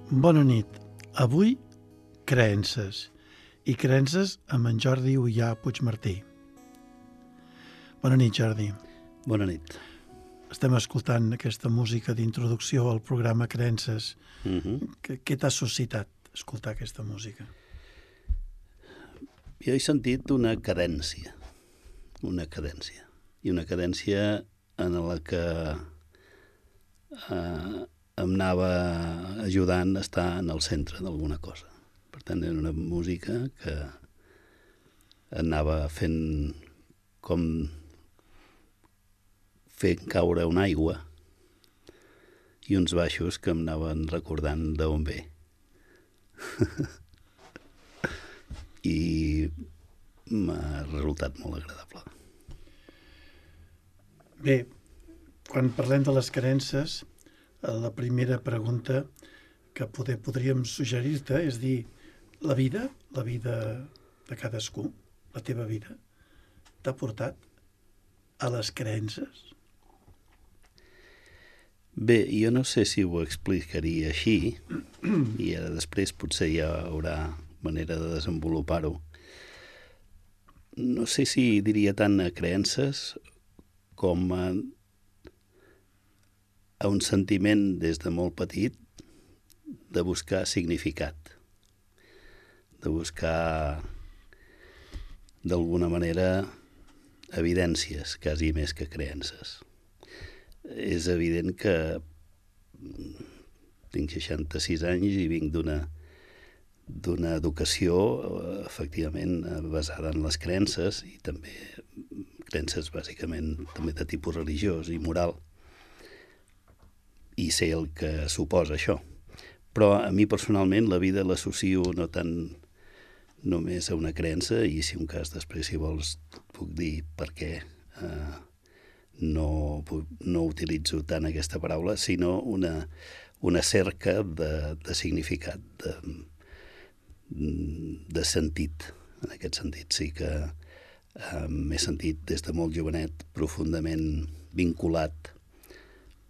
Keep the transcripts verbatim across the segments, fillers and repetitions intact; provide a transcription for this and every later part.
Bona nit. Avui, creences. I creences amb en Jordi Ullà Puigmartí. Bona nit, Jordi. Bona nit. Estem escoltant aquesta música d'introducció al programa Creences. Uh-huh. Què, què t'ha suscitat escoltar aquesta música? Jo he sentit una cadència, una cadència, i una cadència en la que eh, em anava ajudant a estar en el centre d'alguna cosa. Per tant, era una música que anava fent com fent caure una aigua i uns baixos que em anaven recordant d'on ve. I m'ha resultat molt agradable. Bé, quan parlem de les creences, la primera pregunta que poder, podríem suggerir-te és dir, la vida, la vida de cadascú, la teva vida, t'ha portat a les creences? Bé, jo no sé si ho explicaria així, i ara després potser hi haurà manera de desenvolupar-ho. No sé si diria tant a creences com a, a un sentiment des de molt petit de buscar significat, de buscar d'alguna manera evidències, quasi més que creences. És evident que tinc seixanta-sis anys i vinc d'una d'una educació efectivament basada en les creences i també creences bàsicament també de tipus religiós i moral, i sé el que suposa això. Però a mi personalment la vida l'associo no tant només a una creença, i si un cas després, si vols, puc dir per què eh, no, no utilitzo tant aquesta paraula, sinó una, una cerca de, de significat, de, de sentit. En aquest sentit sí que eh, m'he sentit des de molt jovenet profundament vinculat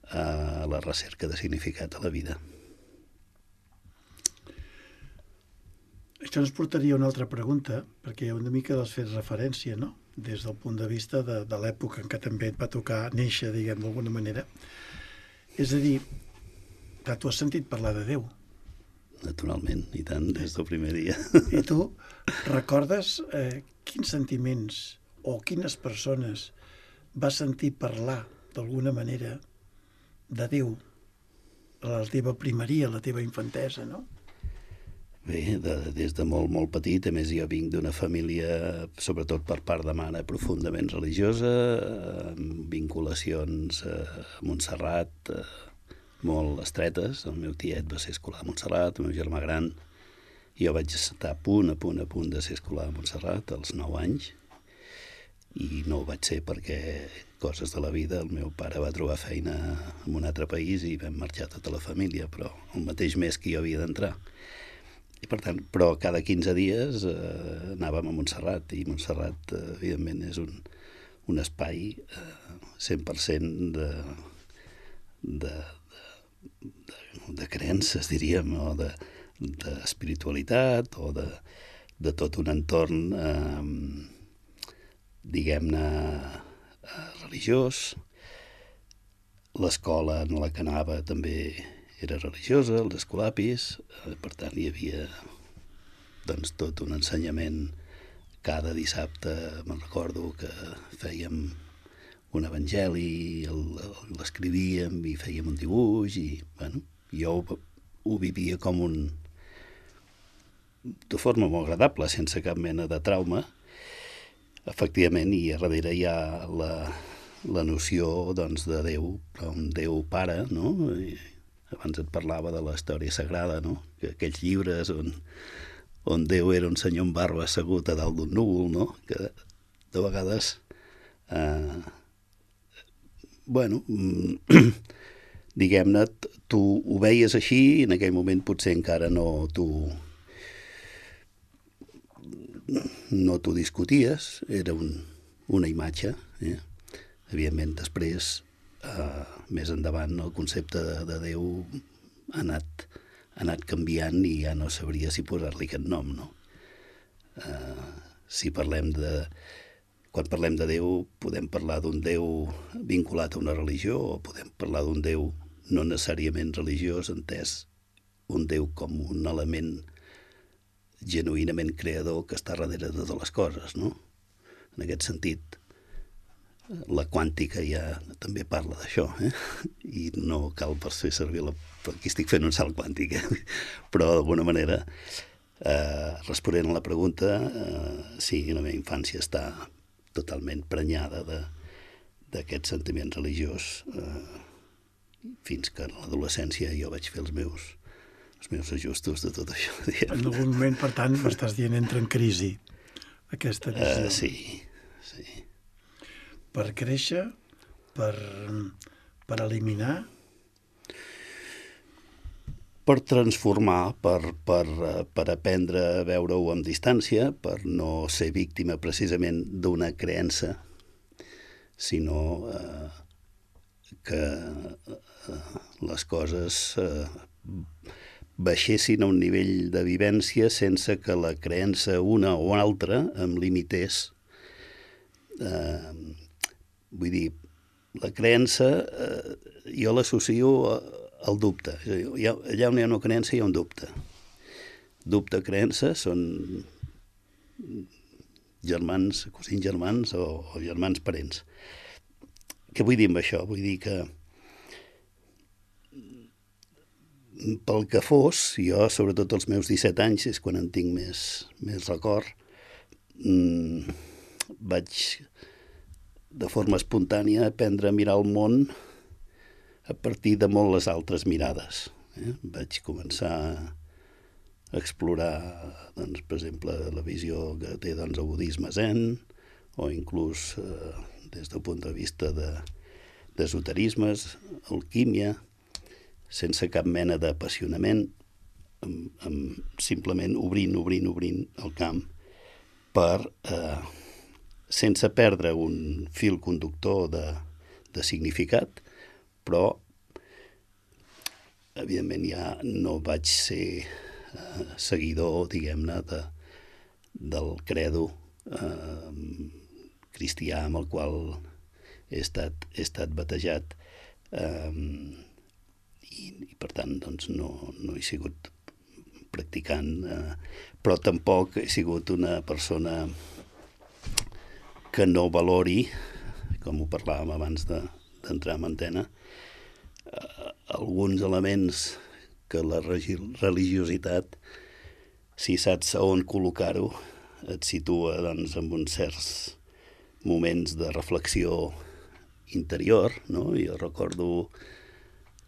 a la recerca de significat a la vida. Això ens portaria a una altra pregunta, perquè una mica l'has fet referència, no? Des del punt de vista de, de l'època en què també et va tocar néixer, diguem, d'alguna manera. És a dir, clar, tu has sentit parlar de Déu. Naturalment, i tant, des del primer dia. I tu recordes eh, quins sentiments o quines persones vas sentir parlar d'alguna manera de Déu a la teva primeria, a la teva infantesa, no? Bé, de, des de molt, molt petit, a més jo vinc d'una família, sobretot per part de mare, profundament religiosa, amb vinculacions a Montserrat eh, molt estretes. El meu tiet va ser escolar a Montserrat, el meu germà gran. Jo vaig estar a punt, a punt, a punt de ser escolar a Montserrat als nou anys, i no ho vaig ser perquè coses de la vida, el meu pare va trobar feina en un altre país i vam marxar tota la família, però el mateix mes que jo havia d'entrar. I per tant, però cada quinze dies eh, anàvem a Montserrat, i Montserrat, eh, evidentment, és un, un espai eh, cent per cent de, de, de, de, de creences, diríem, o de, de espiritualitat, o de, de tot un entorn, eh, diguem-ne, eh, religiós. L'escola en la que anava també era religiosa, els escolapis, eh, per tant hi havia doncs, tot un ensenyament. Cada dissabte me'n recordo que fèiem un evangeli, l'escrivíem i fèiem un dibuix, i bueno, jo ho, ho vivia com un... de forma molt agradable, sense cap mena de trauma, efectivament, i a darrere hi ha la, la noció doncs, de Déu, però un Déu pare, no? I, abans et parlava de la història sagrada, no? Que aquells llibres on, on Déu era un senyor amb barba assegut a dalt d'un núvol, no? Que de vegades, eh, bueno, diguem-ne, tu ho veies així i en aquell moment potser encara no tu no t'ho discuties, era un, una imatge. Eh? Evidentment, després, eh, més endavant, el concepte de, de Déu ha anat ha anat canviant i ja no sabria si posar-li aquest nom, no? Uh, si parlem de... Quan parlem de Déu, podem parlar d'un Déu vinculat a una religió o podem parlar d'un Déu no necessàriament religiós, entès un Déu com un element genuïnament creador que està darrere de totes les coses, no? En aquest sentit, la quàntica ja també parla d'això, eh? I no cal per fer servir la... Aquí estic fent un salt quàntic, eh? Però d'alguna manera, eh, responent a la pregunta, eh, sí, la meva infància està totalment prenyada d'aquest sentiment religiós, eh, fins que a l'adolescència jo vaig fer els meus, els meus ajustos de tot això. Diguem. En algun moment, per tant, m'estàs dient, entra en crisi aquesta visió. Uh, sí, sí. Per créixer, per, per eliminar... Per transformar, per, per, per aprendre a veure-ho amb distància, per no ser víctima precisament d'una creença, sinó eh, que eh, les coses eh, baixessin a un nivell de vivència sense que la creença una o altra em limités. Eh, vull dir, la creença eh, jo l'associo a el dubte. Allà on hi ha una creença hi ha un dubte. Dubte, creença són germans, cosins germans o, o germans parents. Què vull dir amb això? Vull dir que pel que fos, jo, sobretot als meus disset anys, és quan en tinc més, més record, mmm, vaig de forma espontània aprendre a mirar el món a partir de molt les altres mirades. Eh? Vaig començar a explorar, doncs, per exemple, la visió que té doncs, el budisme zen, o inclús eh, des del punt de vista d'esoterismes, alquímia, sense cap mena d'apassionament, amb, amb, simplement obrint, obrint, obrint el camp, per, eh, sense perdre un fil conductor de, de significat, però, evidentment, ja no vaig ser eh, seguidor, diguem-ne, de, del credo eh, cristià amb el qual he estat, he estat batejat. Eh, i, i, per tant, doncs, no, no he sigut practicant, eh, però tampoc he sigut una persona que no valori, com ho parlàvem abans de, d'entrar en antena, Uh, alguns elements que la religiositat, si saps a on col·locar-ho, et situa doncs, en uns certs moments de reflexió interior, no? Jo recordo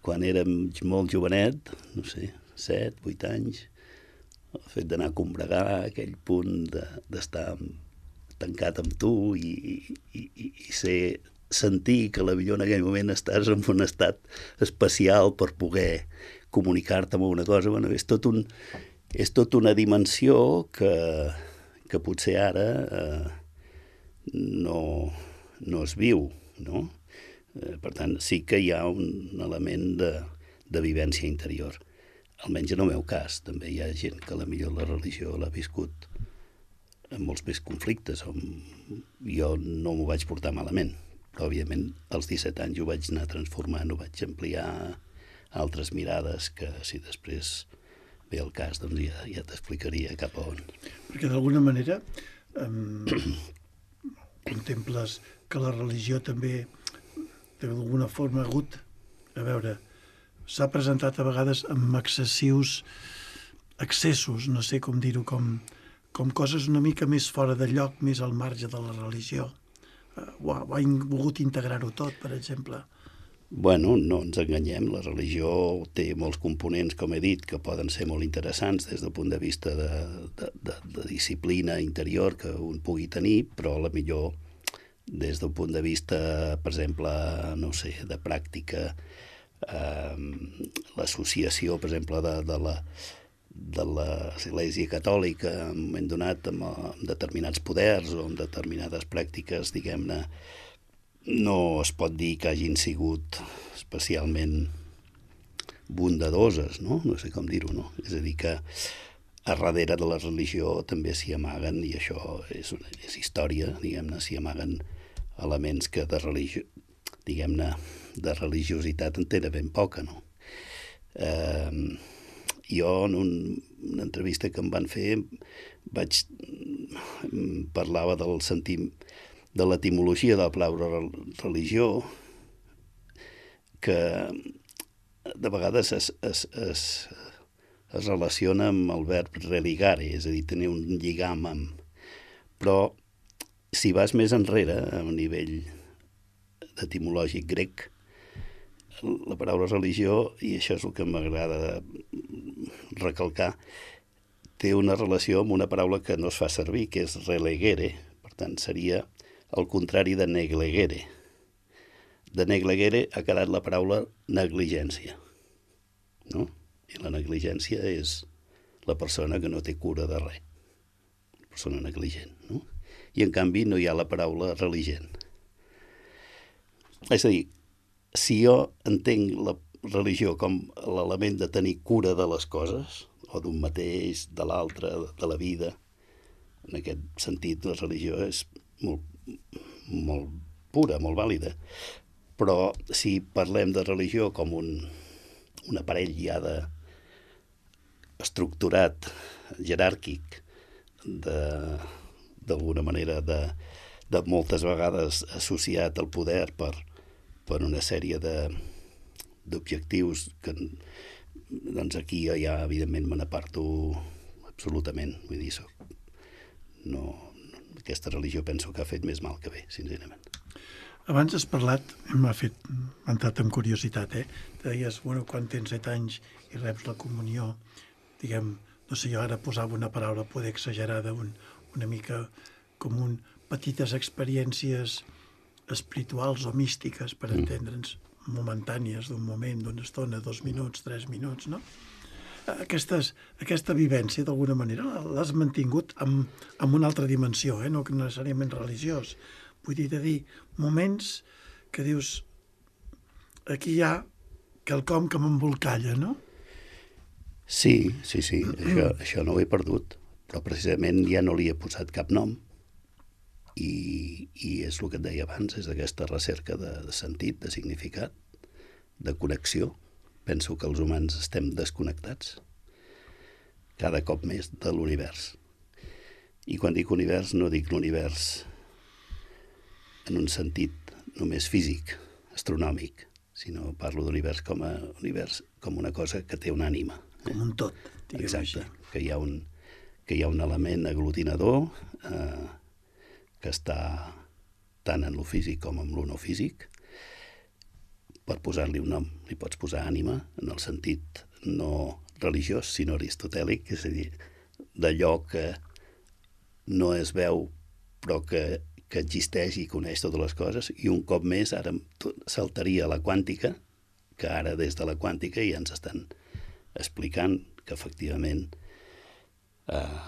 quan érem molt jovenet, no sé, set, vuit anys, el fet d'anar a combregar, aquell punt d'estar de, tancat amb tu i, i, i, i ser... sentir que la millor en aquell moment estàs en un estat especial per poder comunicar-te amb una cosa, bueno, és tot un, és tot una dimensió que, que potser ara eh, no, no es viu, no? Eh, per tant, sí que hi ha un element de, de vivència interior. Almenys en el meu cas, també hi ha gent que a la millor la religió l'ha viscut amb molts més conflictes. Jo no m'ho vaig portar malament, però, òbviament, als disset anys ho vaig anar transformant, ho vaig ampliar a altres mirades que, si després ve el cas, doncs ja, ja t'explicaria cap a on. Perquè, d'alguna manera, eh, contemples que la religió també, d'alguna forma, ha hagut, a veure, s'ha presentat a vegades amb excessius excessos, no sé com dir-ho, com, com coses una mica més fora de lloc, més al marge de la religió. Ho ha, ho ha volgut integrar-ho tot, per exemple. Bueno, no ens enganyem, la religió té molts components, com he dit, que poden ser molt interessants des del punt de vista de, de, de, de disciplina interior que un pugui tenir, però a la millor des del punt de vista, per exemple, no sé, de pràctica, eh, l'associació, per exemple, de, de la de l'Església Catòlica en un moment donat amb, amb determinats poders o amb determinades pràctiques, diguem-ne, no es pot dir que hagin sigut especialment bondadoses, no? No sé com dir-ho, no? És a dir, que a darrere de la religió també s'hi amaguen, i això és, una, és història, diguem-ne, s'hi amaguen elements que de religio, diguem-ne, de religiositat en tenen ben poca, no? Eh, jo, en un, una entrevista que em van fer, vaig parlava del sentim, de l'etimologia de la paraula religió, que de vegades es, es, es, es relaciona amb el verb religare, és a dir, tenir un lligam amb... Però si vas més enrere, a un nivell etimològic grec, la paraula religió, i això és el que m'agrada recalcar, té una relació amb una paraula que no es fa servir, que és relegere. Per tant, seria el contrari de neglegere. De neglegere ha quedat la paraula negligència, no? I la negligència és la persona que no té cura de res, la persona negligent, no? I en canvi no hi ha la paraula religent. És a dir, si jo entenc la religió com l'element de tenir cura de les coses, o d'un mateix, de l'altre, de la vida, en aquest sentit la religió és molt, molt pura, molt vàlida. Però si parlem de religió com un, un aparell ja de, estructurat, jeràrquic, d'alguna manera de, de moltes vegades associat al poder per, per una sèrie d'objectius que, doncs aquí jo ja evidentment me n'aparto absolutament. Vull dir, soc, no, no, aquesta religió penso que ha fet més mal que bé, sincerament. Abans has parlat, m'ha fet, m'ha entrat amb curiositat, eh? Deies, bueno, quan tens set anys i reps la comunió, diguem, no sé, jo ara posava una paraula poder exagerada, un, una mica com un petites experiències espirituals o místiques, per mm. entendre'ns, momentànies, d'un moment, d'una estona, dos minuts, tres minuts, no? Aquestes, aquesta vivència, d'alguna manera, l'has mantingut amb, amb una altra dimensió, eh? No necessàriament religiós. Vull dir, de dir, moments que dius, aquí hi ha quelcom que m'embolcalla, no? Sí, sí, sí, això, això no ho he perdut, però precisament ja no li he posat cap nom, i, i és el que et deia abans, és aquesta recerca de, de sentit, de significat, de connexió. Penso que els humans estem desconnectats cada cop més de l'univers. I quan dic univers no dic l'univers en un sentit només físic, astronòmic, sinó parlo d'univers com a univers, com una cosa que té una ànima. Com un tot, diguem Exacte, així. que hi ha un, que hi ha un element aglutinador eh, que està tant en lo físic com en lo no físic. Per posar-li un nom, li pots posar ànima en el sentit no religiós, sinó aristotèlic, és a dir, d'allò que no es veu però que, que existeix i coneix totes les coses, i un cop més ara saltaria a la quàntica, que ara des de la quàntica ja ens estan explicant que efectivament eh,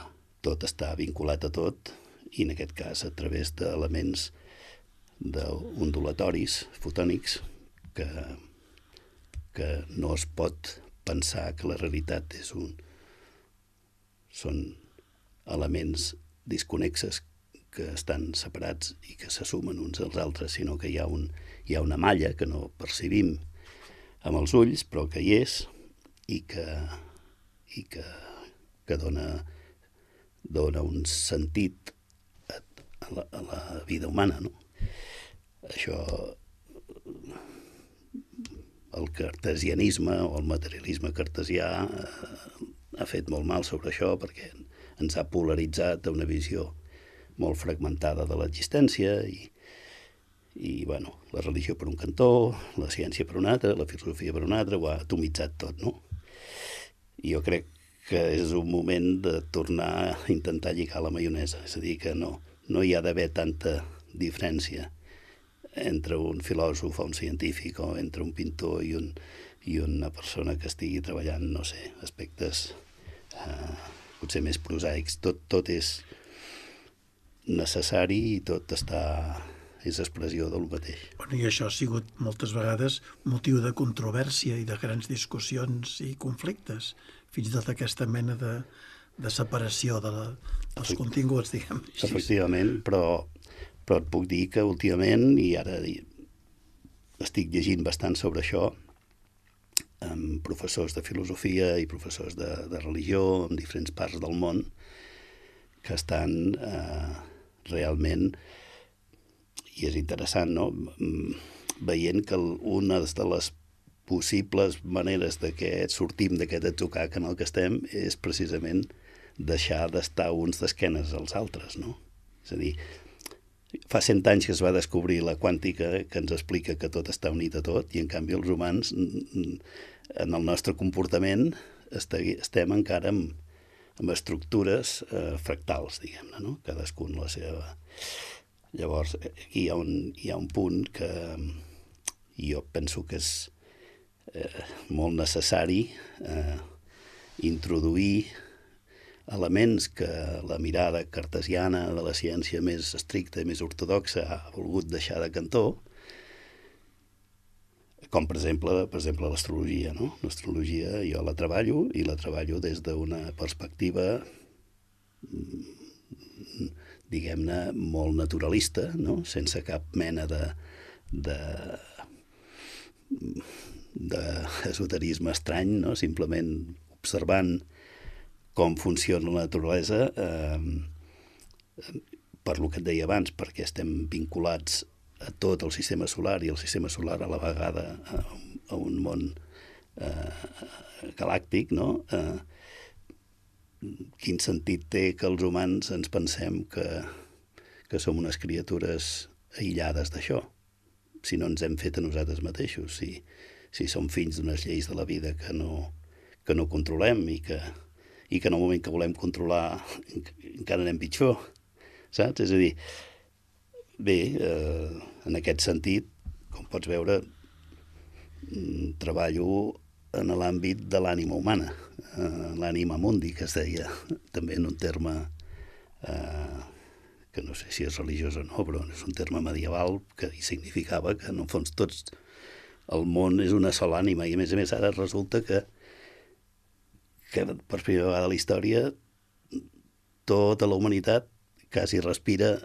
tot està vinculat a tot, i en aquest cas a través d'elements ondulatoris, fotònics, que, que no es pot pensar que la realitat és un, són elements disconnexes que estan separats i que se sumen uns als altres, sinó que hi ha, un, hi ha una malla que no percebim amb els ulls, però que hi és, i que, i que, que dona, dona un sentit a, a, la, a la vida humana, no? Això, el cartesianisme o el materialisme cartesià eh, ha fet molt mal sobre això, perquè ens ha polaritzat a una visió molt fragmentada de l'existència, i, i bueno, la religió per un cantó, la ciència per un altre, la filosofia per un altre, ho ha atomitzat tot, no? I jo crec que és un moment de tornar a intentar lligar la maionesa, és a dir, que no, no hi ha d'haver tanta diferència entre un filòsof o un científic, o entre un pintor i, un, i una persona que estigui treballant, no sé, aspectes eh, potser més prosaics. Tot, tot és necessari i tot està és expressió del mateix. Bueno, i això ha sigut moltes vegades motiu de controvèrsia i de grans discussions i conflictes, fins i tot aquesta mena de, de separació de la, dels Efect... continguts, diguem així. Efectivament, però, però et puc dir que últimament, i ara estic llegint bastant sobre això, amb professors de filosofia i professors de, de religió en diferents parts del món, que estan eh, realment, i és interessant, no?, veient que una de les possibles maneres de que sortim d'aquest atzucac en el que estem és precisament deixar d'estar uns d'esquenes als altres, no? És a dir, fa cent anys que es va descobrir la quàntica que ens explica que tot està unit a tot i en canvi els humans en el nostre comportament estem encara amb, amb estructures eh, fractals, diguem-ne, no? Cadascun la seva... Llavors, aquí hi ha un, hi ha un punt que jo penso que és eh, molt necessari eh, introduir elements que la mirada cartesiana de la ciència més estricta i més ortodoxa ha volgut deixar de cantó, com per exemple, per exemple l'astrologia, no? L'astrologia jo la treballo i la treballo des d'una perspectiva diguem-ne, molt naturalista, no? Sense cap mena de, de, d'esoterisme estrany, no? Simplement observant com funciona la naturalesa, eh, per lo que et deia abans, perquè estem vinculats a tot el sistema solar i el sistema solar a la vegada a, a un món eh, galàctic, no? Eh, quin sentit té que els humans ens pensem que, que som unes criatures aïllades d'això, si no ens hem fet a nosaltres mateixos, si, si som fills d'unes lleis de la vida que no, que no controlem i que, i que en el moment que volem controlar encara anem pitjor, saps? És a dir, bé, eh, en aquest sentit, com pots veure, treballo en l'àmbit de l'ànima humana, eh, l'ànima mundi, que es deia, també en un terme eh, que no sé si és religiós o no, però és un terme medieval que significava que en el fons tots, el món és una sola ànima, i a més a més ara resulta que, que per primera vegada a la història tota la humanitat quasi respira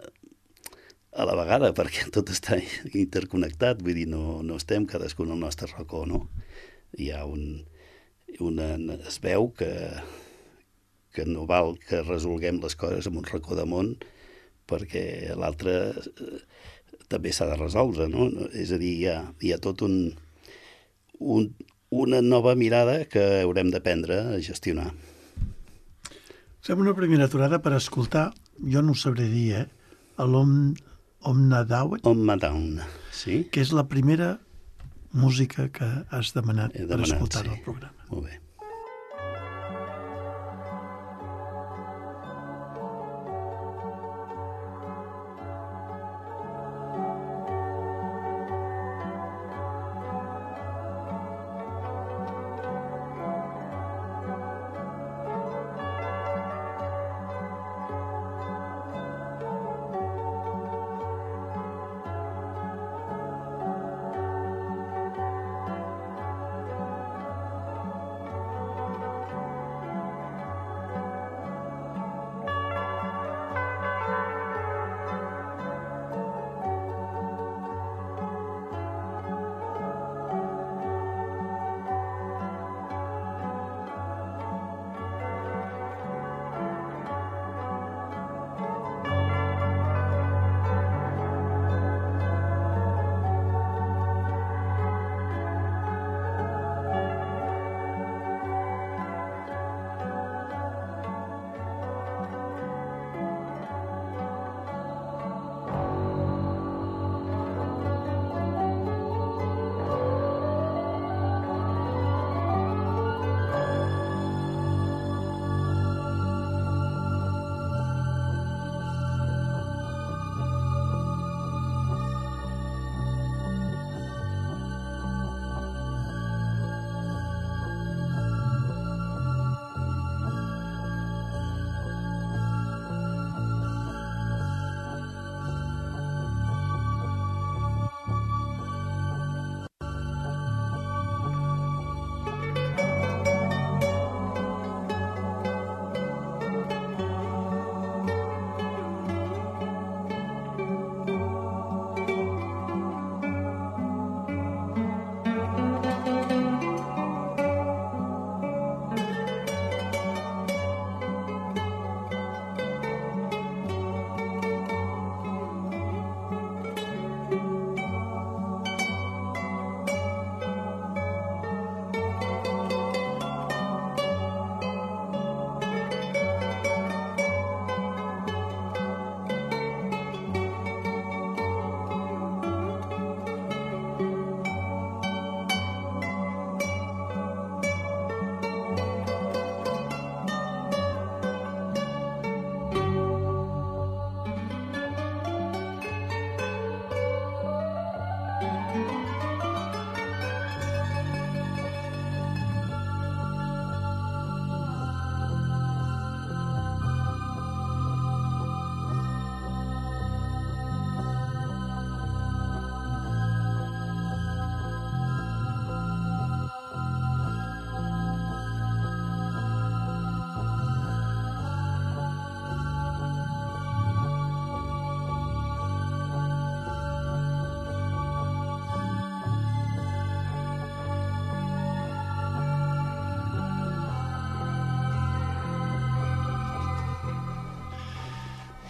a la vegada, perquè tot està interconnectat, vull dir, no, no estem cadascun al nostre racó, no? Hi ha un, una, es veu que, que no val que resolguem les coses en un racó de món perquè l'altre eh, també s'ha de resoldre, no? És a dir, hi ha, hi ha tot un, un, una nova mirada que haurem d'aprendre a gestionar. Fem una primera aturada per escoltar, jo no ho sabré dir, eh? L'Om Omnadawn, Omnadawn, sí. Que és la primera música que has demanat, He demanat per escoltar sí. el programa. Molt bé.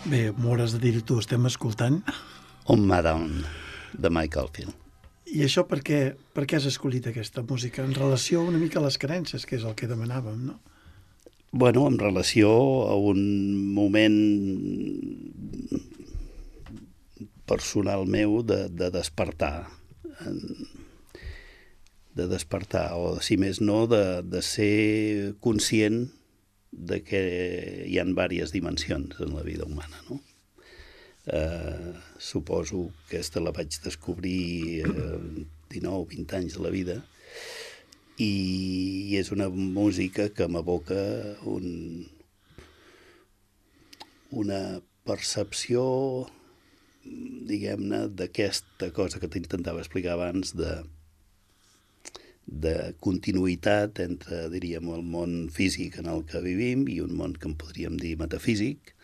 Bé, m'hauràs de dir-ho tu, estem escoltant. On Maddown, de Mike Oldfield. I això per què, per què has escollit aquesta música? En relació una mica a les creences, que és el que demanàvem, no? Bueno, en relació a un moment personal meu de, de despertar, de despertar, o si més no, de, de ser conscient de que hi ha diverses dimensions en la vida humana, no? Eh, suposo que aquesta la vaig descobrir eh, dinou o vint anys de la vida, i és una música que m'evoca un, una percepció, diguem-ne, d'aquesta cosa que t'intentava explicar abans, de, de continuïtat entre, diríem, el món físic en el que vivim i un món que en podríem dir metafísic,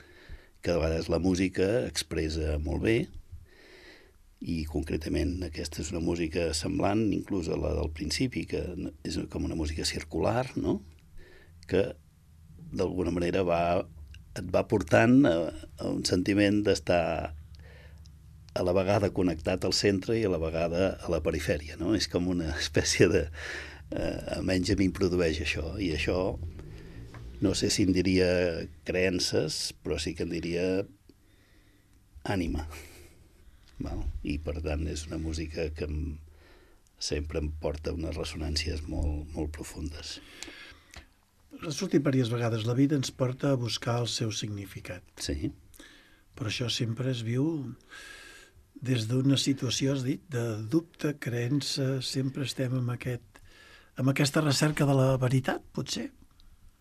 que a vegades la música expressa molt bé, i concretament aquesta és una música semblant inclús a la del principi, que és com una música circular, no? Que d'alguna manera va, et va portant a, a un sentiment d'estar a la vegada connectat al centre i a la vegada a la perifèria, no? És com una espècie de... Eh, almenys a mi em produeix això, i això no sé si en diria creences, però sí que en diria ànima. Val? I per tant és una música que em, sempre em porta unes ressonàncies molt, molt profundes. Ha sortit diverses vegades, la vida ens porta a buscar el seu significat. Sí. Però això sempre es viu des d'una situació, has dit, de dubte, creença, sempre estem amb, aquest, amb aquesta recerca de la veritat, potser?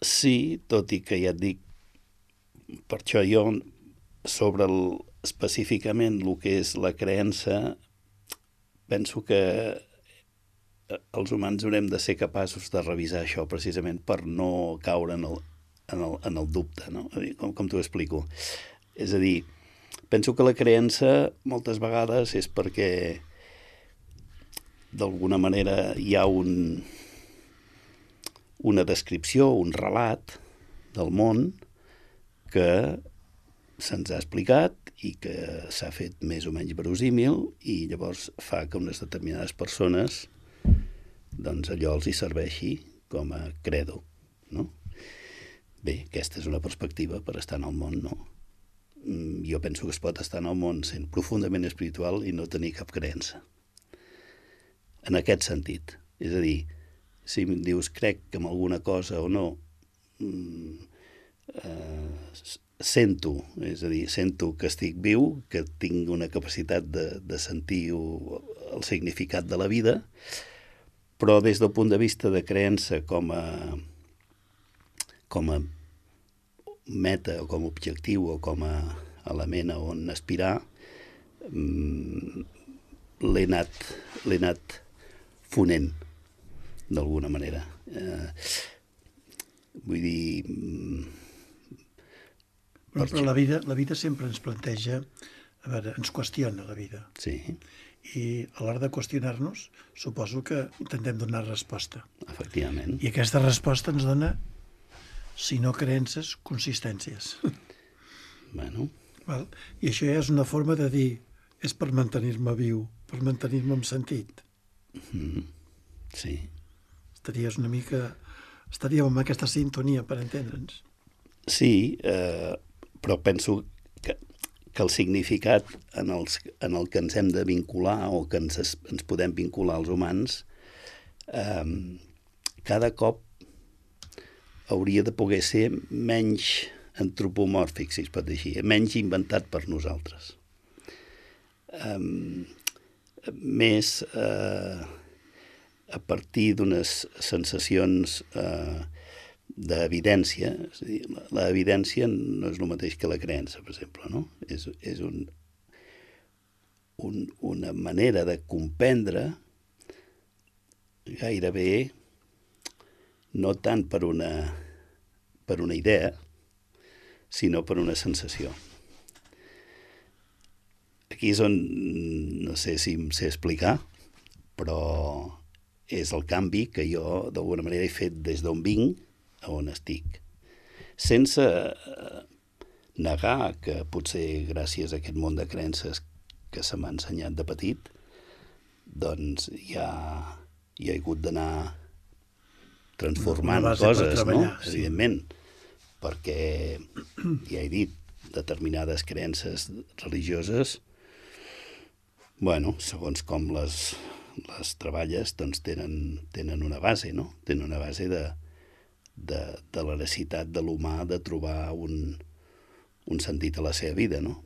Sí, tot i que ja et dic, per això jo sobre el, específicament el que és la creença, penso que els humans haurem de ser capaços de revisar això precisament per no caure en el, en el, en el dubte, no? Com, com t'ho explico? És a dir, penso que la creença moltes vegades és perquè d'alguna manera hi ha un, una descripció, un relat del món que se'ns ha explicat i que s'ha fet més o menys verosímil, i llavors fa que unes determinades persones doncs allò els hi serveixi com a credo, no? Bé, aquesta és una perspectiva per estar en el món, no? Jo penso que es pot estar en el món sent profundament espiritual i no tenir cap creença. En aquest sentit. És a dir, si em dius crec que en alguna cosa o no, eh, sento, és a dir, sento que estic viu, que tinc una capacitat de, de sentir el significat de la vida, però des del punt de vista de creença com a, com a meta o com a objectiu o com a element a on aspirar, l'he anat, l'he anat fonent d'alguna manera. Eh, vull dir... Però, però la vida, la vida sempre ens planteja, a veure, ens qüestiona la vida. Sí. I a l'hora de qüestionar-nos, suposo que intentem donar resposta. Efectivament. I aquesta resposta ens dona, si no creences, consistències. Bueno. Val? I això ja és una forma de dir, és per mantenir-me viu, per mantenir-me amb sentit. Mm-hmm. Sí. Estaries una mica... Estaríem en aquesta sintonia, per entendre'ns. Sí, eh, però penso que, que el significat en, els, en el que ens hem de vincular o que ens, ens podem vincular als humans eh, cada cop hauria de poder ser menys antropomòrfic, si es pot dir així, menys inventat per nosaltres. Eh, més eh, a partir d'unes sensacions eh, d'evidència. És a dir, l'evidència no és el mateix que la creença, per exemple, no? És, és un, un, una manera de comprendre gairebé no tant per una, per una idea, sinó per una sensació. Aquí és on, no sé si em sé explicar, però és el canvi que jo d'alguna manera he fet des d'on vinc a on estic, sense negar que potser gràcies a aquest món de creences que se m'ha ensenyat de petit, doncs hi ha, hi ha hagut d'anar transformant coses, no? Sí. Evidentment, perquè, ja he dit, determinades creences religioses, bueno, segons com les, les treballes, doncs tenen, tenen una base, no? Tenen una base de, de, de la necessitat de l'humà de trobar un, un sentit a la seva vida, no?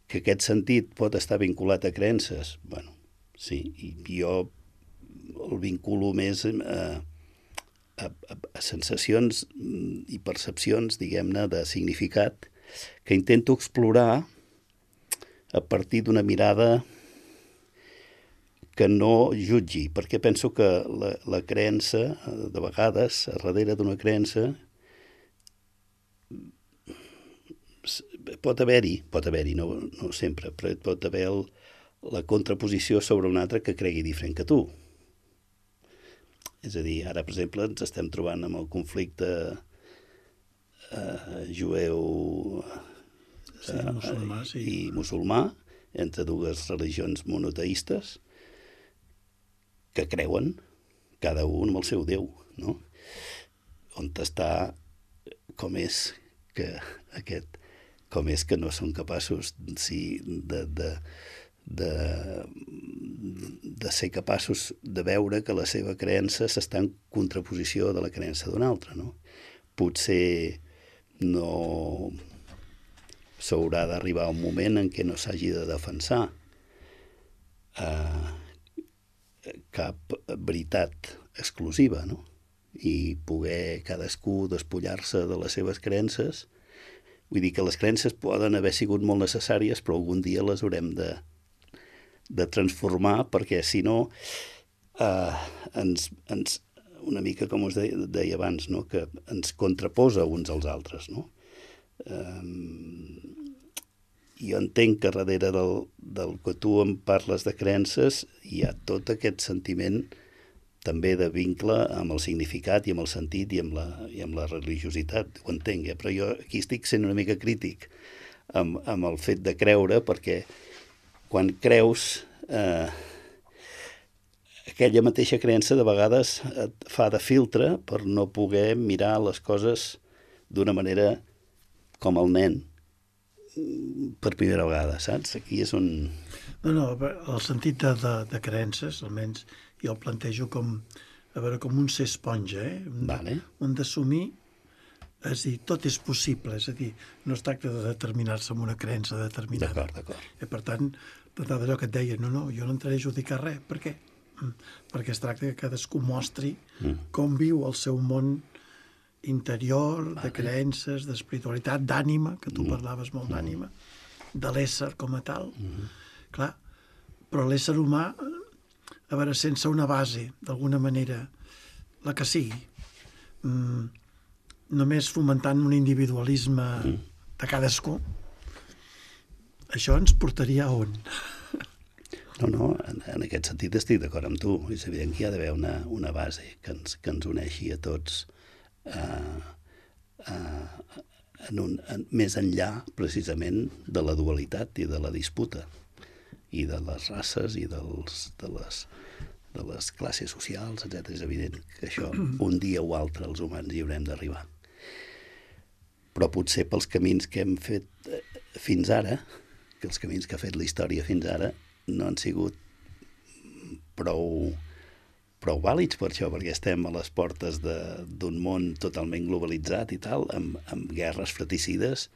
Que aquest sentit pot estar vinculat a creences? Bueno, sí, i jo el vinculo més a, a, a sensacions i percepcions, diguem-ne, de significat que intento explorar a partir d'una mirada que no jutgi, perquè penso que la, la creença, de vegades, a darrere d'una creença, pot haver-hi, pot haver-hi, no, no sempre, però pot haver el, la contraposició sobre un altre que cregui diferent que tu. És a dir, ara, per exemple, ens estem trobant amb el conflicte eh, jueu sí, eh, musulmà, sí. i musulmà, entre dues religions monoteistes, que creuen, cada un amb el seu Déu, no? On està, com és que aquest, com és que no són capaços sí, de, de, de, de ser capaços de veure que la seva creença s'està en contraposició de la creença d'un altre, no? Potser no s'haurà d'arribar a un moment en què no s'hagi de defensar eh, cap veritat exclusiva, no? I poder cadascú despullar-se de les seves creences. Vull dir que les creences poden haver sigut molt necessàries, però algun dia les haurem de, de transformar, perquè si no eh, ens, ens, una mica com us deia, deia abans, no? Que ens contraposa uns als altres, no? Eh, jo entenc que darrere del, del que tu em parles de creences hi ha tot aquest sentiment també de vincle amb el significat i amb el sentit i amb la, i amb la religiositat, ho entenc, eh? Però jo aquí estic sent una mica crític amb, amb el fet de creure, perquè quan creus eh, aquella mateixa creença de vegades et fa de filtre per no poder mirar les coses d'una manera com el nen per primera vegada, saps? Aquí és on... No, no, el sentit de, de, de creences, almenys jo el plantejo com, a veure, com un ser esponja, eh? Un, vale. un d'assumir, és a dir, tot és possible, és a dir, no es tracta de determinar-se amb una creença determinada. D'acord, d'acord. I per tant, d'allò que et deia, no, no, jo no entraré a judicar res. Per què? Perquè es tracta que cadascú mostri mm. com viu el seu món interior, vale. De creences, d'espiritualitat, d'ànima, que tu mm. parlaves molt d'ànima, mm. de l'ésser com a tal. Mm. Clar, però l'ésser humà, a veure, sense una base, d'alguna manera, la que sigui, mm, només fomentant un individualisme mm. de cadascú, això ens portaria a on? No, no, en, en aquest sentit estic d'acord amb tu. És evident que hi ha d'haver una, una base que ens, que ens uneixi a tots eh, eh, en un, en, més enllà, precisament, de la dualitat i de la disputa, i de les races i dels, de, les, de les classes socials, etcètera. És evident que això, un dia o altre, els humans hi haurem d'arribar. Però potser pels camins que hem fet fins ara, que els camins que ha fet la història fins ara, no han sigut prou, prou vàlids per això, perquè estem a les portes d'un món totalment globalitzat i tal, amb, amb guerres fratricides,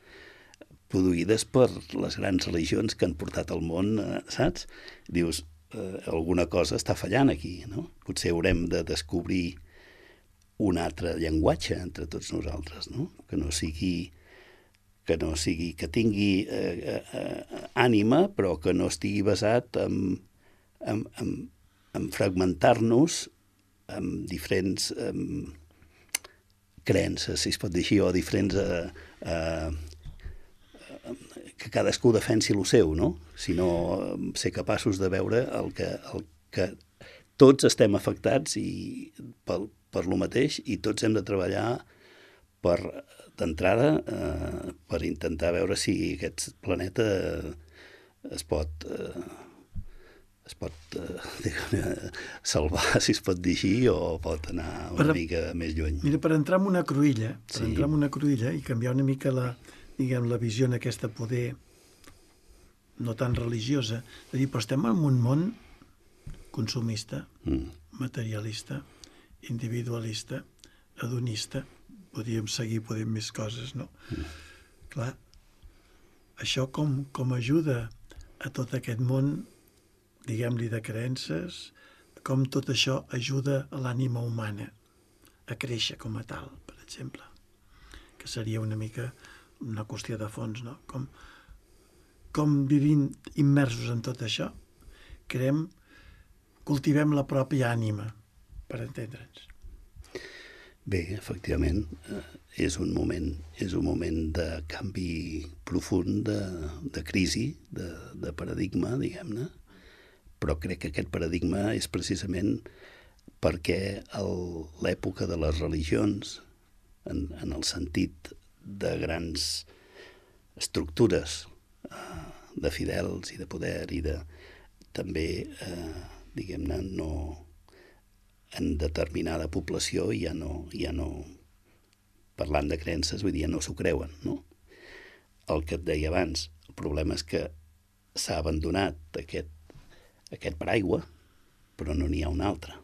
produïdes per les grans religions que han portat al món, eh, saps? Dius, eh, alguna cosa està fallant aquí, no? Potser haurem de descobrir un altre llenguatge entre tots nosaltres, no? Que no sigui, que no sigui, que tingui eh, eh, ànima, però que no estigui basat en, en, en, en fragmentar-nos amb diferents eh, creences, si es pot dir així, o diferents... Eh, eh, que cadascú defensi el seu, no? Sinó ser capaços de veure el que, el que tots estem afectats i per, per lo mateix i tots hem de treballar per, d'entrada, eh, per intentar veure si aquest planeta es pot... Eh, es pot eh, salvar, si es pot dir així, o pot anar una Per- mica més lluny. Mira, per entrar en una cruïlla, per Sí. entrar en una cruïlla i canviar una mica la, diguem, la visió en aquesta poder no tan religiosa, és a dir, però estem en un món consumista, Mm. materialista, individualista, hedonista, podríem seguir, podem més coses, no? Mm. Clar, això com, com ajuda a tot aquest món, diguem-li, de creences, com tot això ajuda a l'ànima humana a créixer com a tal, per exemple, que seria una mica una qüestió de fons, no? Com, com vivint immersos en tot això, creem, cultivem la pròpia ànima, per entendre'ns. Bé, efectivament, eh, és un moment, és un moment de canvi profund, de, de crisi, de, de paradigma, diguem-ne, però crec que aquest paradigma és precisament perquè el- l'època de les religions, en, en el sentit de grans estructures eh, de fidels i de poder i de també, eh, diguem-ne, no en determinada població ja no, ja no, parlant de creences, vull dir, ja no s'ho creuen, no? El que et deia abans, el problema és que s'ha abandonat aquest, aquest paraigua, però no n'hi ha un altre.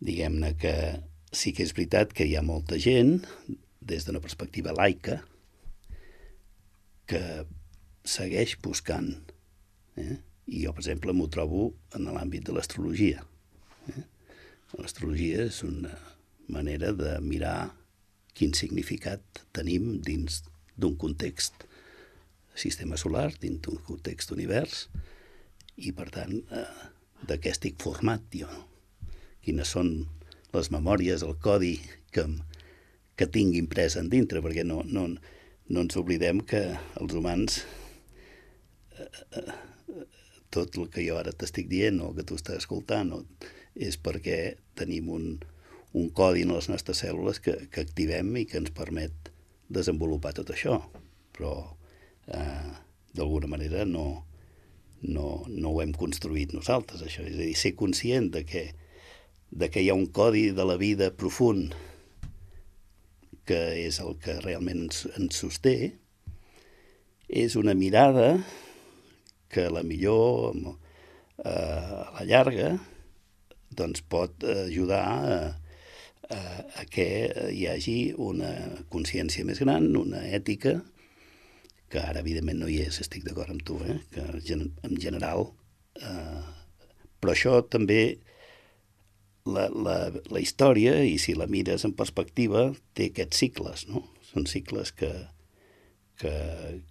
Diguem-ne que sí que és veritat que hi ha molta gent, des d'una perspectiva laica, que segueix buscant, eh? I jo, per exemple, m'ho trobo en l'àmbit de l'astrologia. Eh? L'astrologia és una manera de mirar quin significat tenim dins d'un context sistema solar, dins d'un context univers, i, per tant, eh, de què estic format jo. Quines són les memòries, el codi que, que tinc imprès en dintre, perquè no, no, no ens oblidem que els humans... Eh, eh, tot el que jo ara t'estic dient o que tu estàs escoltant o, és perquè tenim un, un codi en les nostres cèl·lules que, que activem i que ens permet desenvolupar tot això. Però, eh, d'alguna manera, no, no, no ho hem construït nosaltres, això. És a dir, ser conscient de que, de que hi ha un codi de la vida profund que és el que realment ens, ens sosté, és una mirada que a la millor eh, a la llarga doncs pot ajudar a, a, a que hi hagi una consciència més gran, una ètica, que ara evidentment no hi és, estic d'acord amb tu, eh? Que en general, eh, però això també la, la, la història, i si la mires en perspectiva, té aquests cicles, no? Són cicles que, que,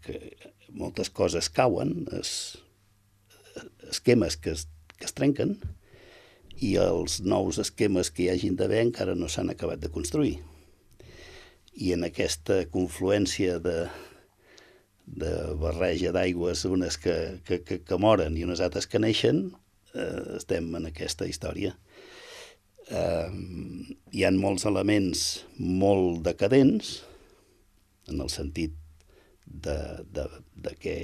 que moltes coses cauen, es, esquemes que es, que es trenquen, i els nous esquemes que hi hagin d'haver encara no s'han acabat de construir. I en aquesta confluència de, de barreja d'aigües, unes que, que, que, que moren i unes altres que neixen, eh, estem en aquesta història. Eh, hi ha molts elements molt decadents, en el sentit de, de, de que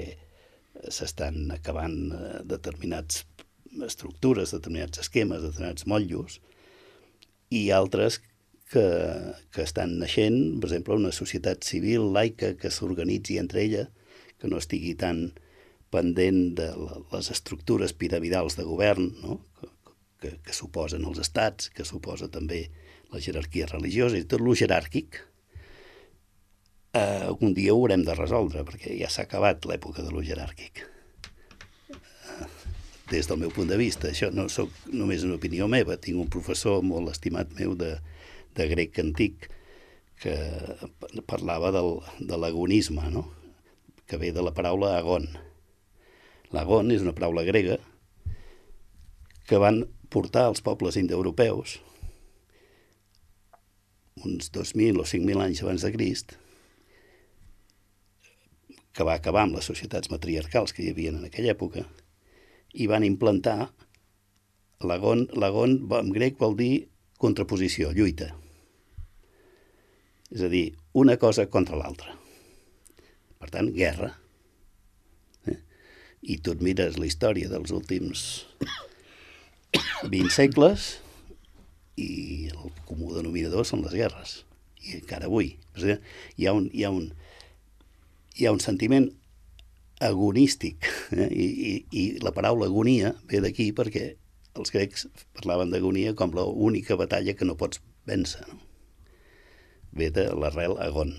s'estan acabant determinats estructures, determinats esquemes, determinats motllos, i altres que, que estan naixent, per exemple, una societat civil laica que s'organitzi entre ella, que no estigui tan pendent de les estructures piramidals de govern, no? que, que, que suposen els estats, que suposa també la jerarquia religiosa i tot lo jeràrquic. Uh, un dia ho haurem de resoldre, perquè ja s'ha acabat l'època de lo jeràrquic. Uh, des del meu punt de vista, això no soc només una opinió meva, tinc un professor molt estimat meu de, de grec antic que parlava del, de l'agonisme, no? Que ve de la paraula agon. L'agon és una paraula grega que van portar els pobles indoeuropeus uns dos mil o cinc mil anys abans de Crist, que va acabar amb les societats matriarcals que hi havia en aquella època, i van implantar l'agon, l'agon en grec vol dir contraposició, lluita. És a dir, una cosa contra l'altra. Per tant, guerra. Eh? I tu et mires la història dels últims vint segles i el comú denominador són les guerres. I encara avui. Hi ha un, hi ha un, hi ha un sentiment agonístic, eh? I, i, i la paraula agonia ve d'aquí perquè els grecs parlaven d'agonia com l'única batalla que no pots vèncer. No? Ve de l'arrel agon.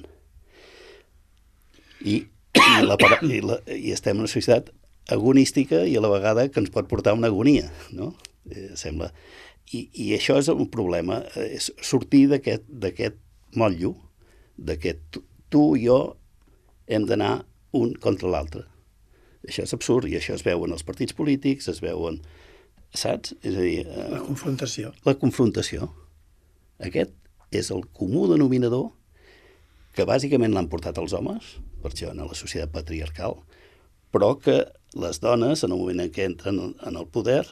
I, i, la, i, la, i estem en una societat agonística i a la vegada que ens pot portar a una agonia, no? Eh, sembla. I, I això és un problema, és sortir d'aquest d'aquest motllo, d'aquest tu, tu i jo hem d'anar un contra l'altre. Això és absurd i això es veu en els partits polítics, es veu en... Saps? És a dir... Eh, la confrontació. La confrontació. Aquest és el comú denominador que bàsicament l'han portat els homes, per això en la societat patriarcal, però que les dones, en el moment en què entren en el poder,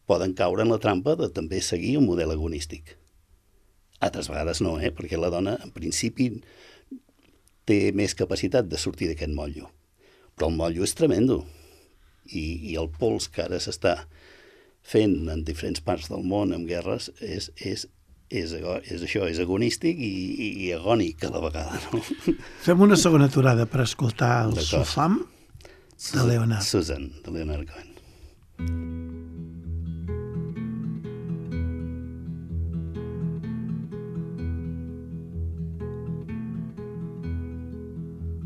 poden caure en la trampa de també seguir un model agonístic. Altres vegades no, eh? Perquè la dona, en principi, té més capacitat de sortir d'aquest motllo. Però el motllo és tremendo. I, i el pols que ara s'està fent en diferents parts del món amb guerres és, és, és, és això, és agonístic i, i, i agònic a la vegada. No? Fem una segona aturada per escoltar el Sofam de Leonard. Susan, de Leonard Cohen.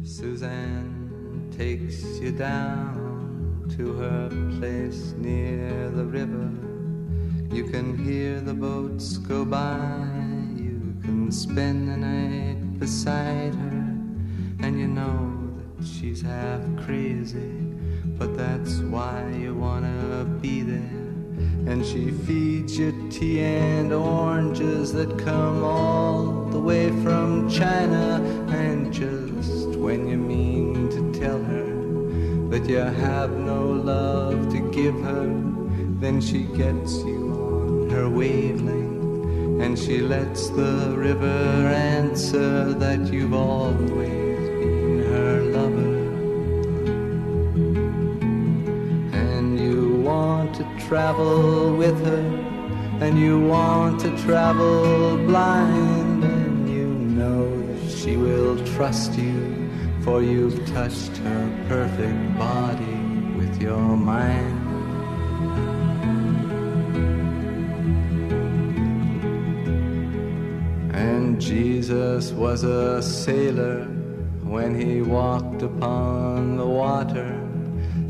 Suzanne takes you down to her place near the river. You can hear the boats go by. You can spend the night beside her. And you know that she's half crazy, but that's why you wanna be there. And she feeds you tea and oranges that come all the way from China. And just when you mean to tell her that you have no love to give her, then she gets you on her wavelength, and she lets the river answer that you've always been her lover. And you want to travel with her, and you want to travel blind, and you know that she will trust you, for you've touched her perfect body with your mind. And Jesus was a sailor when he walked upon the water,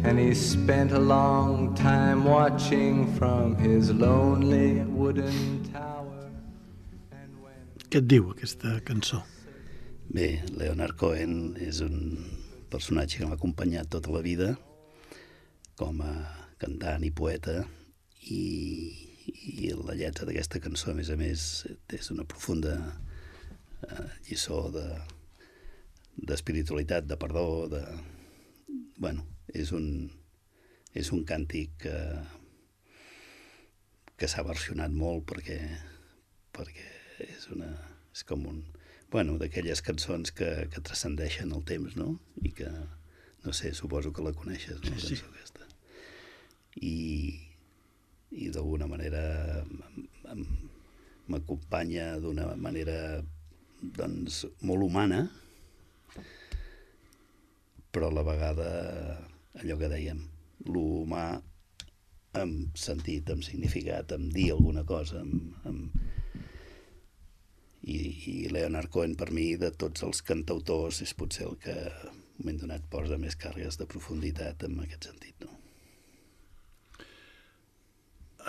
and he spent a long time watching from his lonely wooden tower. And when... Què et diu aquesta cançó? Bé, Leonard Cohen és un personatge que m'ha acompanyat tota la vida com a cantant i poeta, i, i la lletra d'aquesta cançó, a més a més, és una profunda eh, lliçó de, d'espiritualitat, de perdó, de... Bueno, és un, és un càntic que, que s'ha versionat molt perquè, perquè és, una, és com un... Bueno, d'aquelles cançons que, que transcendeixen el temps, no? I que, no sé, suposo que la coneixes, no? Sí, sí. La cançó aquesta. I, i d'alguna manera m'acompanya d'una manera, doncs, molt humana, però a la vegada allò que dèiem, l'humà amb sentit, amb significat, amb dir alguna cosa, amb... amb... I, i Leonard Cohen, per mi, de tots els cantautors, és potser el que, en un moment donat, posa més càrregues de profunditat en aquest sentit, no?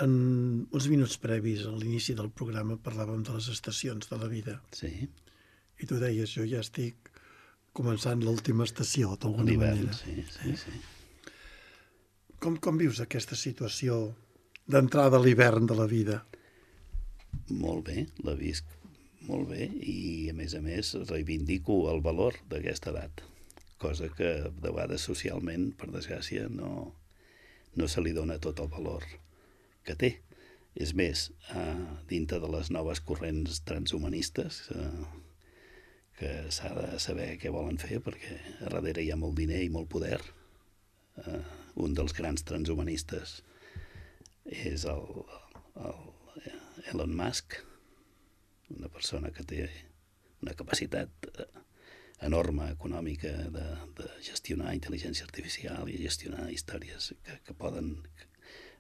En uns minuts previs a l'inici del programa parlàvem de les estacions de la vida. Sí. I tu deies, jo ja estic començant l'última estació, d'alguna L'hivern, manera. sí, sí, sí. Com, com vius aquesta situació d'entrada a l'hivern de la vida? Molt bé, la visc molt bé, i a més a més reivindico el valor d'aquesta edat, cosa que de vegades socialment, per desgràcia, no, no se li dona tot el valor que té. És més, eh, dintre de les noves corrents transhumanistes, eh, que s'ha de saber què volen fer, perquè a darrere hi ha molt diner i molt poder. Uh, un dels grans transhumanistes és el, el Elon Musk, una persona que té una capacitat enorme econòmica de, de gestionar intel·ligència artificial i gestionar històries que, que poden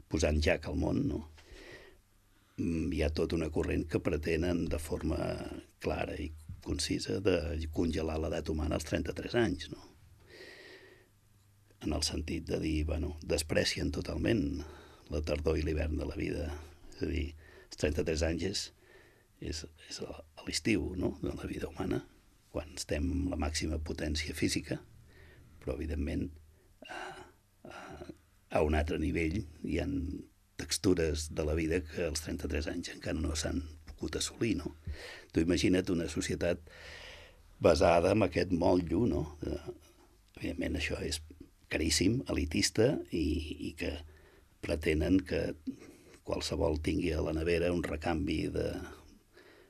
posar en jac al món, no? Hi ha tot una corrent que pretenen de forma clara i concisa de congelar l'edat humana als trenta-tres anys, no? En el sentit de dir, bueno, desprecien totalment la tardor i l'hivern de la vida. És a dir, els trenta-tres anys és, és, és a l'estiu, no?, de la vida humana, quan estem amb la màxima potència física, però, evidentment, a, a, a un altre nivell hi ha textures de la vida que als trenta-tres anys encara no s'han pogut assolir, no? Tu imagina't una societat basada en aquest motllo, no? Evidentment, això és caríssim, elitista, i, i que pretenen que qualsevol tingui a la nevera un recanvi de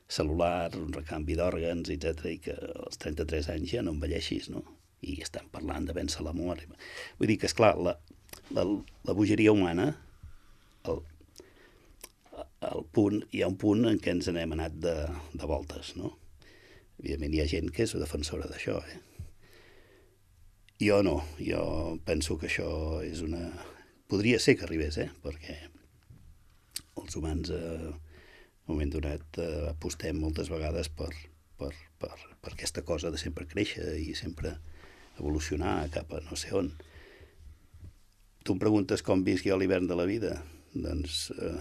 celular, un recanvi d'òrgans, etcètera, i que als trenta-tres anys ja no envelleixis, no? I estan parlant de vèncer la mort. Vull dir que, esclar, la, la, la bogeria humana, el, el punt, hi ha un punt en què ens n'hem anat de, de voltes, no? Evidentment hi ha gent que és defensora d'això, eh? Jo no, jo penso que això és una... Podria ser que arribés, eh? Perquè els humans, eh, en un moment donat, eh, apostem moltes vegades per, per, per, per aquesta cosa de sempre créixer i sempre evolucionar cap a no sé on. Tu em preguntes com visc jo l'hivern de la vida? Doncs eh,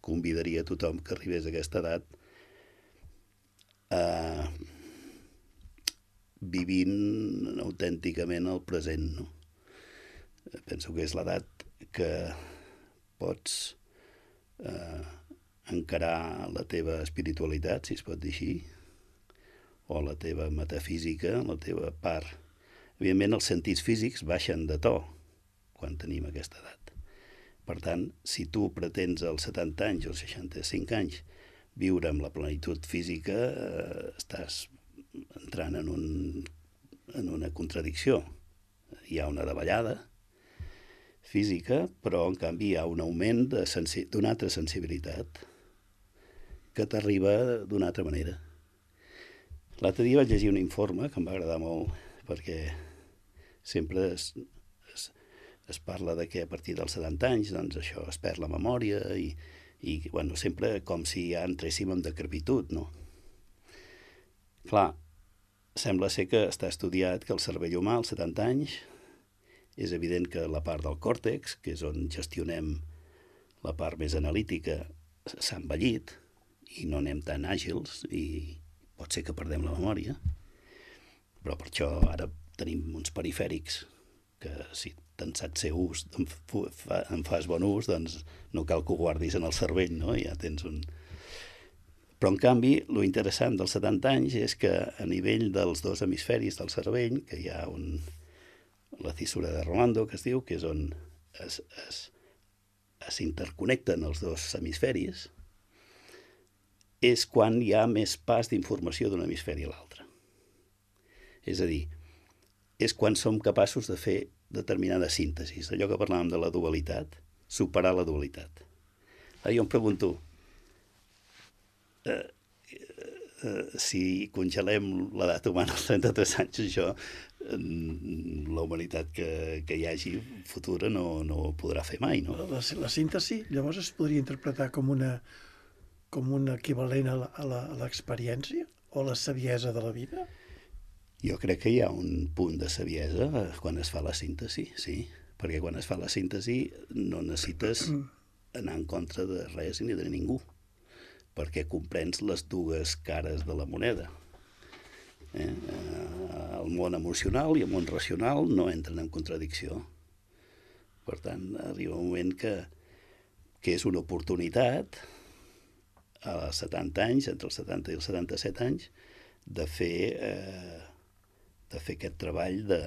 convidaria a tothom que arribés a aquesta edat a... vivint autènticament el present, no? Penso que és l'edat que pots eh, encarar la teva espiritualitat, si es pot dir així, o la teva metafísica, la teva part. Evidentment, els sentits físics baixen de to quan tenim aquesta edat. Per tant, si tu pretens als setanta anys o seixanta-cinc anys viure amb la plenitud física, eh, estàs entrant en, un, en una contradicció. Hi ha una davallada física, però en canvi hi ha un augment de sensi- d'una altra sensibilitat que t'arriba d'una altra manera. L'altre dia vaig llegir un informe que em va agradar molt, perquè sempre es, es, es parla de que a partir dels setanta anys doncs això es perd la memòria i, i bueno, sempre com si ja entréssim en decrepitud, no? Clar, sembla ser que està estudiat que el cervell humà als setanta anys és evident que la part del còrtex, que és on gestionem la part més analítica, s'ha envellit i no anem tan àgils i pot ser que perdem la memòria. Però per això ara tenim uns perifèrics que si te'n saps ser ús, en, fa, en fas bon ús, doncs no cal que ho guardis en el cervell, no? Ja tens un... Però, en canvi, lo interessant dels setanta anys és que a nivell dels dos hemisferis del cervell, que hi ha un, la fissura de Rolando, que es diu, que és on es, es, es interconnecten els dos hemisferis, és quan hi ha més pas d'informació d'un hemisferi a l'altre. És a dir, és quan som capaços de fer determinada síntesi, allò que parlàvem de la dualitat, superar la dualitat. Ara jo em pregunto, Eh, eh, si congelem l'edat humana als trenta-tres anys, això, eh, la humanitat que, que hi hagi futura no, no ho podrà fer mai, no? La, la síntesi, llavors, es podria interpretar com una com un equivalent a la, a la, a l'experiència o a la saviesa de la vida? Jo crec que hi ha un punt de saviesa quan es fa la síntesi, sí, perquè quan es fa la síntesi no necessites anar en contra de res ni de ningú, perquè comprens les dues cares de la moneda. Eh? El món emocional i el món racional no entren en contradicció. Per tant, arriba un moment que, que és una oportunitat als setanta anys, entre els setanta i els setanta-set anys, de fer, eh, de fer aquest treball de...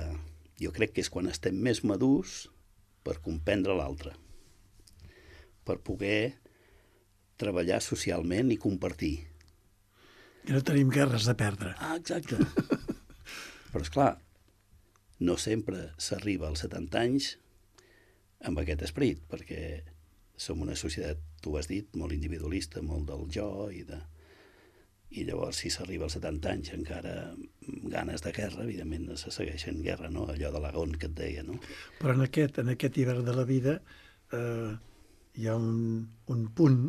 Jo crec que és quan estem més madurs per comprendre l'altre, per poder treballar socialment i compartir. I no tenim guerres a perdre. Ah, exacte. Però, esclar, no sempre s'arriba als setanta anys amb aquest esperit, perquè som una societat, tu has dit, molt individualista, molt del jo, i, de... i llavors si s'arriba als setanta anys encara amb ganes de guerra, evidentment se segueix en guerra, no? Allò de l'agón que et deia, no? Però en aquest, en aquest hivern de la vida eh, hi ha un, un punt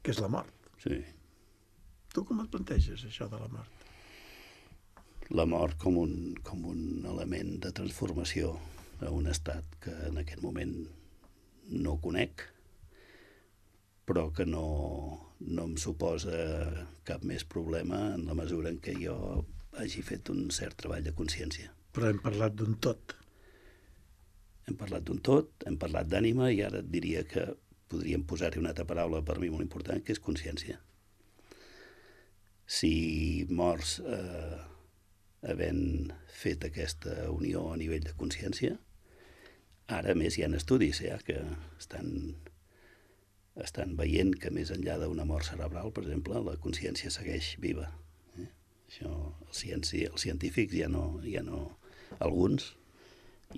que és la mort. Sí. Tu com et planteges, això de la mort? La mort com un, com un element de transformació a un estat que en aquest moment no conec, però que no, no em suposa cap més problema en la mesura en què jo hagi fet un cert treball de consciència. Però hem parlat d'un tot. Hem parlat d'un tot, hem parlat d'ànima, i ara et diria que podríem posar-hi una altra paraula per mi molt important, que és consciència. Si mors eh, havent fet aquesta unió a nivell de consciència, ara més hi ha estudis ja, que estan, estan veient que més enllà d'una mort cerebral, per exemple, la consciència segueix viva. Eh? Això, els, cienci, els científics ja no, ja no, alguns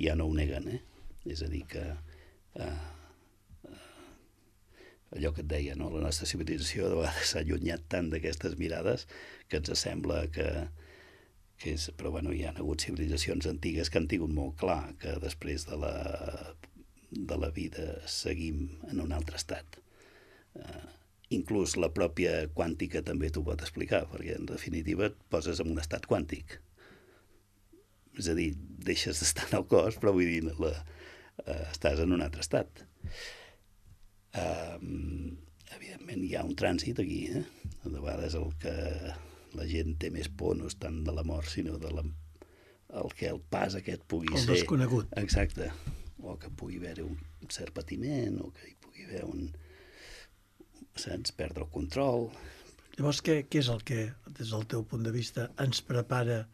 ja no ho neguen. Eh? És a dir, que eh, allò que et deia, no? La nostra civilització de vegades s'ha allunyat tant d'aquestes mirades que ens sembla que, que és... Però bueno, hi ha hagut civilitzacions antigues que han tingut molt clar que després de la, de la vida seguim en un altre estat. Uh, inclús la pròpia quàntica també t'ho pot explicar, perquè en definitiva et poses en un estat quàntic. És a dir, deixes d'estar en el cos, però vull dir, la, uh, estàs en un altre estat. Um, evidentment hi ha un trànsit aquí, eh? De vegades el que la gent té més por no és tant de la mort, sinó de la, el que el pas aquest pugui el ser... El desconegut. Exacte. O que pugui haver un cert patiment, o que hi pugui haver un... Saps? Perdre el control. Llavors, què, què és el que, des del teu punt de vista, ens prepara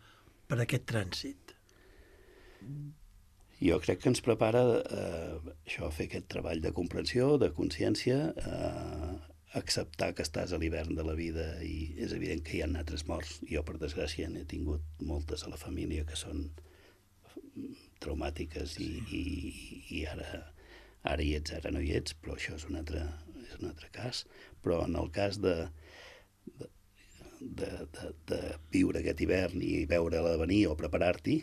per aquest trànsit? Jo crec que ens prepara eh, això, fer aquest treball de comprensió, de consciència, eh, acceptar que estàs a l'hivern de la vida, i és evident que hi ha altres morts. Jo, per desgràcia, n'he tingut moltes a la família que són traumàtiques, i, i, i ara, ara hi ets, ara no hi ets, però això és un altre, és un altre cas. Però en el cas de, de, de, de, de viure aquest hivern i veure-la venir o preparar-t'hi,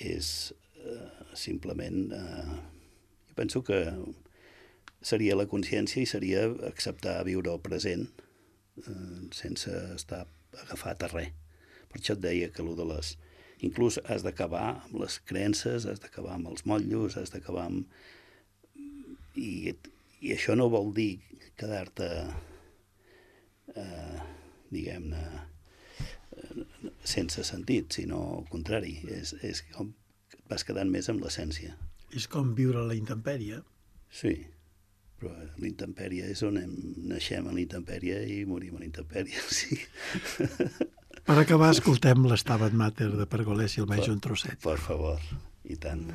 és eh, simplement... Eh, jo penso que seria la consciència i seria acceptar viure el present eh, sense estar agafat a res. Per això et deia que allò de les... Inclús has d'acabar amb les creences, has d'acabar amb els motllos, has d'acabar amb... I, I això no vol dir quedar-te, eh, diguem-ne, sense sentit, sinó al contrari, és, és com que et vas quedant més amb l'essència. És com viure a la intempèrie. Sí, però l'intempèrie és on hem, naixem a l'intempèrie i morim a l'intempèrie, sí. Per acabar, escoltem l'Stabat Mater de Pergolesi, almenys un trosset. Per favor, i tant.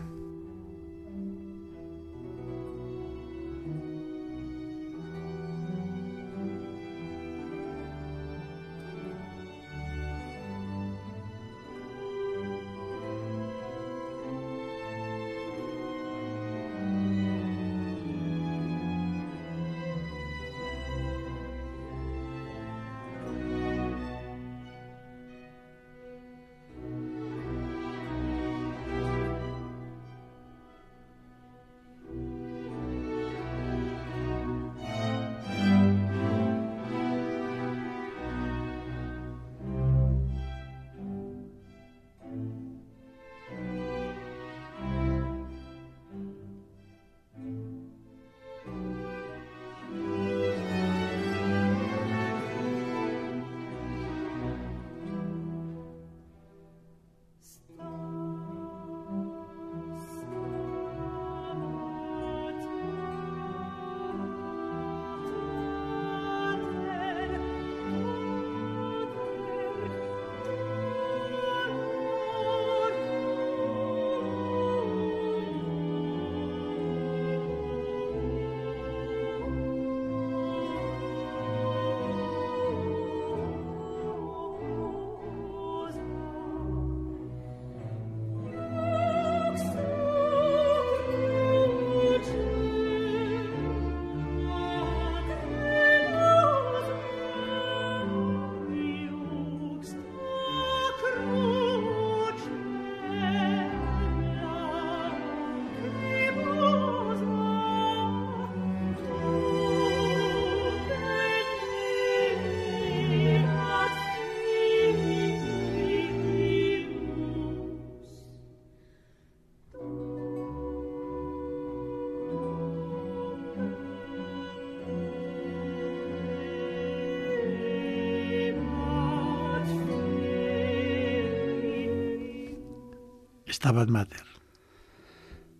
Stabat Mater.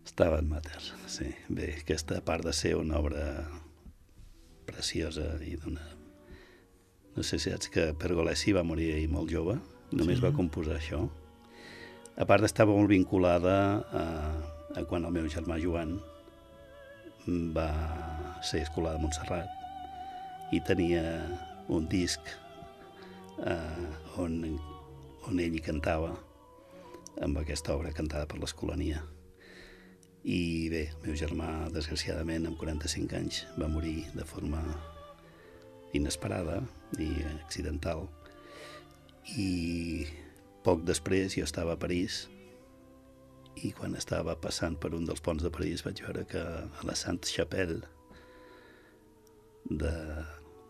Stabat Mater, sí. Bé, aquesta, a part de ser una obra preciosa i d'una... No sé si saps que Pergolesi va morir ahir molt jove, només sí. va composar això. A part d'estar molt vinculada a, a quan el meu germà Joan va ser escolar de Montserrat i tenia un disc eh, on, on ell hi cantava amb aquesta obra cantada per l'Escolania. I bé, el meu germà, desgraciadament, amb quaranta-cinc anys, va morir de forma inesperada i accidental. I poc després jo estava a París i quan estava passant per un dels ponts de París vaig veure que a la Sainte-Chapelle de,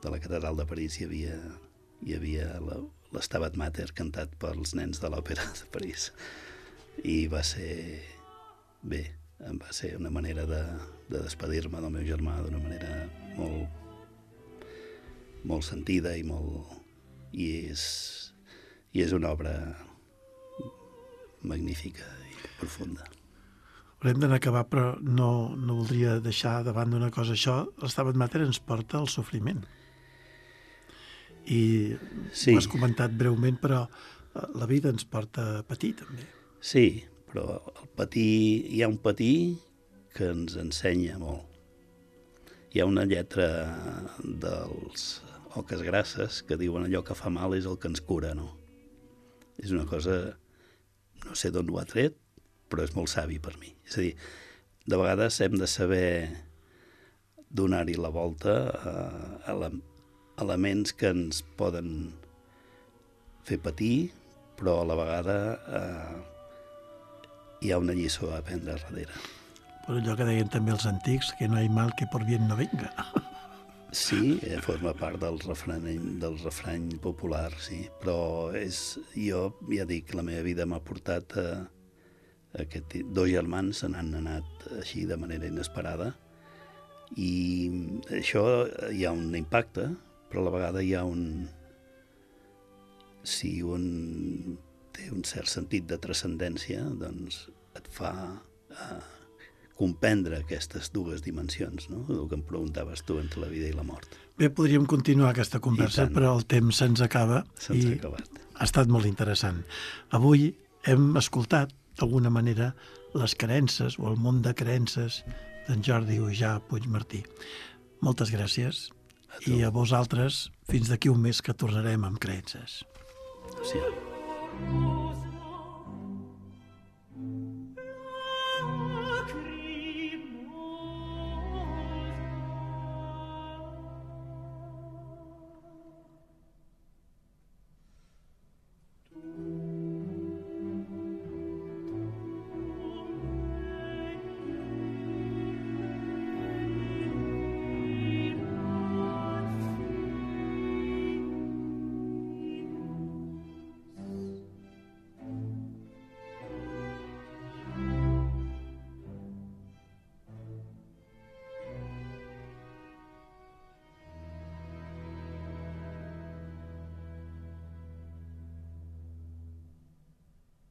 de la catedral de París hi havia, hi havia l'Stabat Mater cantat pels nens de l'òpera de París. I va ser... bé, va ser una manera de, de despedir-me del meu germà d'una manera molt, molt sentida i molt... i és, i és una obra magnífica i profunda. Haurem d'anar a acabar, però no, no voldria deixar davant d'una cosa. Això, l'Stabat Mater ens porta al sofriment. I sí. Ho has comentat breument, però la vida ens porta a patir, també. Sí, però el patir, hi ha un patir que ens ensenya molt. Hi ha una lletra dels Oques Grasses que diuen allò que fa mal és el que ens cura, no? És una cosa, no sé d'on ho ha tret, però és molt savi per mi. És a dir, de vegades hem de saber donar-hi la volta a, a elements que ens poden fer patir, però a la vegada eh, hi ha una lliçó a aprendre darrere. Per allò que deien també els antics, que no hi ha mal que por bien no venga. Sí, eh, forma part del refrany, del refrany popular, sí. Però és, jo ja dic, la meva vida m'ha portat a, a aquest... Dos germans se n'han anat així de manera inesperada i això hi ha un impacte, però a la vegada hi ha un... Si un té un cert sentit de transcendència, doncs et fa eh, comprendre aquestes dues dimensions, no? El que em preguntaves tu entre la vida i la mort. Bé, podríem continuar aquesta conversa, però el temps se'ns acaba. Se'ns ha acabat. Ha estat molt interessant. Avui hem escoltat, d'alguna manera, les creences o el món de creences d'en Jordi Ujà Puigmartí. Moltes gràcies. A I a vosaltres, fins d'aquí un mes que tornarem amb creences. Sí.